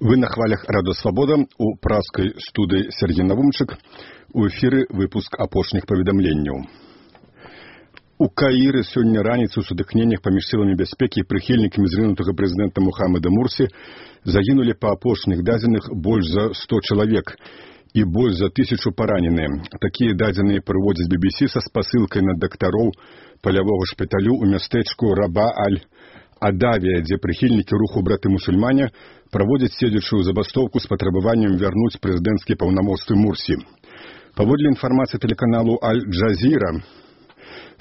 Вы на хвалях Радио Свобода у праской студии Сергей Навумчик. У эфиры выпуск апошних паведамленняў. У Каіры сёння раніцай у сутыкненнях паміж сіламі бяспекі і прыхільнікамі зрынутага прэзідэнта Мухаммада Мурсі загінулі па апошніх дадзеных больш за 100 чалавек і больш за 1000 параненыя. Такія дадзеныя прыводзяць BBC са спасылкай на дактароў палявога шпіталю ў мястэчку Раба-аль-Адавія, дзе прыхільнікі руху браты-мусульмане праводзяць седзячую забастоўку з патрабаваннем вярнуць прэзідэнцкія паўнамоцтвы Мурсі. Паводле інфармацыі тэлеканалу Аль-Джазіра,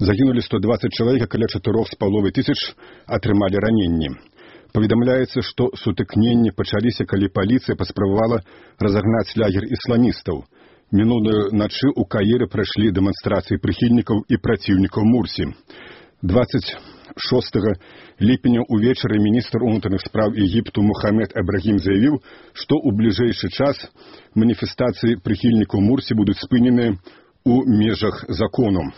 загінулі 120 чалавек, а каля 4500 атрымалі раненні. Паведамляецца, што сутыкненні пачаліся, калі паліцыя паспрабавала разагнаць лагер ісламістаў. Мінулую начы ў Каіры прайшлі дэманстрацыі прыхільнікаў і праціўнікаў Мурсі. 26 ліпеня ўвечары міністр унутраных спраў Егіпту Мухаммед Эбрагім заявіў, што ў бліжэйшы час маніфестацыі прыхільнікаў Мурсі будуць спыненыя ў межах закону.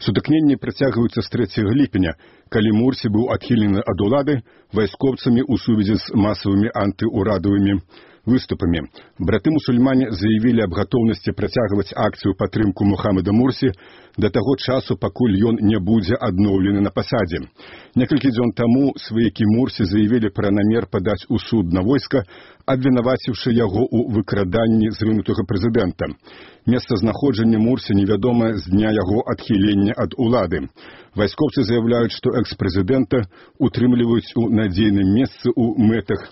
Сутыкненні працягваюцца з 3 ліпеня, калі Мурсі быў адхілены ад улады вайскоўцамі ў сувязі з масавымі антыурадавымі выступамі. Браты-мусульмане заявілі аб гатоўнасці працягваць акцыю падтрымку Мухаммада Мурсі да таго часу, пакуль ён не будзе адноўлены на пасадзе. Некалькі дзён таму сваякі Мурсі заявілі пра намер падаць у суд на войска, абвінаваціўшы яго ў выкраданні зрынутага прэзідэнта. Месцазнаходжанне Мурсі невядомае з дня яго адхілення ад улады. Вайскоўцы заяўляюць, што экс-прэзідэнта утрымліваюць у надзейным месцы ў мэтах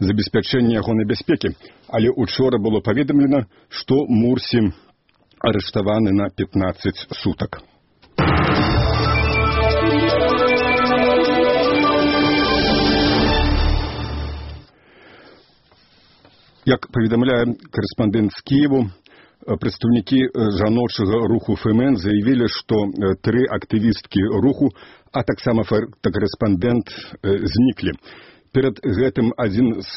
забеспячэння ягонай бяспекі, але учора было паведамлена, што Мурсі арыштаваны на 15 сутак. Як паведамляе корэспандэнт з Кіеву, прадстаўнікі жаночага руху ФМН заявілі, што 3 актывісткі руху, а таксама фотакарэспандэнт зніклі. Перад гэтым адзін з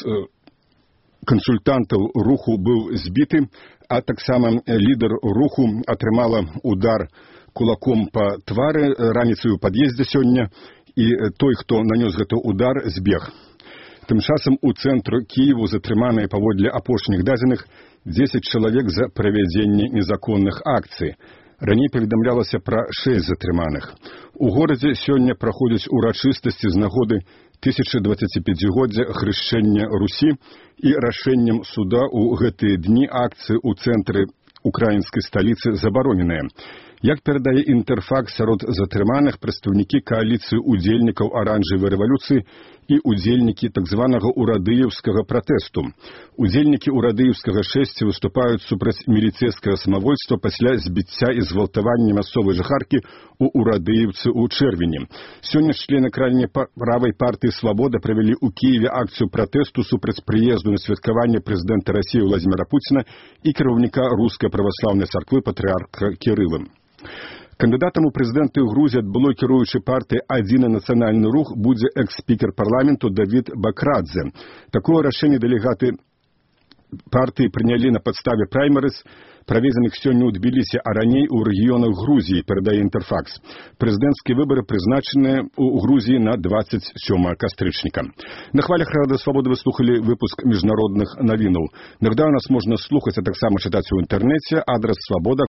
кансультантаў руху быў збіты, а таксама лідар руху атрымала удар кулаком па твары раніцай у пад'ездзе сёння, і той, хто нанёс гэты удар, збег. Тым часам у цэнтру Кіеву затрыманыя паводле апошніх дадзеных 10 чалавек за правядзенне незаконных акцый. Раней паведамлялася пра 6 затрыманых. У горадзе сёння праходзяць урачыстасці з нагоды 1025-годдзя хрышчэння Русі і рашэннем суда ў гэтыя дні акцыі ў цэнтры украінскай сталіцы забароненыя. Як перадае Інтэрфакс, сярод затрыманых прадстаўнікі кааліцыі удзельнікаў аранжавай рэвалюцыі і удзельнікі так званага урадыеўскага пратэсту. Удзельнікі урадыеўскага шэсця выступаюць супраць міліцэйскага самавольства пасля збіцця і згвалтавання мясцовай жыхаркі ў Урадыеўцы ў чэрвені. Сёння члены крайне правай партыі «Свабода» правялі ў Кіеве акцыю пратэсту супраць прыезду на святкаванне прэзідэнта Расіі Владзіміра Пуціна і кіраўніка рускай праваслаўнай царквы патрыарха Кірыла. Кандыдатам у прэзідэнты Грузіі ад былой кіруючай партыі «Адзіны нацыянальны рух» будзе экс-спікер парламенту Давід Бакрадзе. Такое рашэнне дэлегаты партыі прынялі на падставе праймерыз, праведзеных сёння ў Тбілісі, а раней у рэгіёнах Грузіі, перадае Інтэрфакс. Прэзідэнцкія выбары прызначаныя ў Грузіі на 27 кастрычніка. На хвалях Радыё Свабода вы слухалі выпуск міжнародных навінаў. Нагадаю, нас можна слухаць, а таксама чытаць у інтэрнэце. Адрас свабода.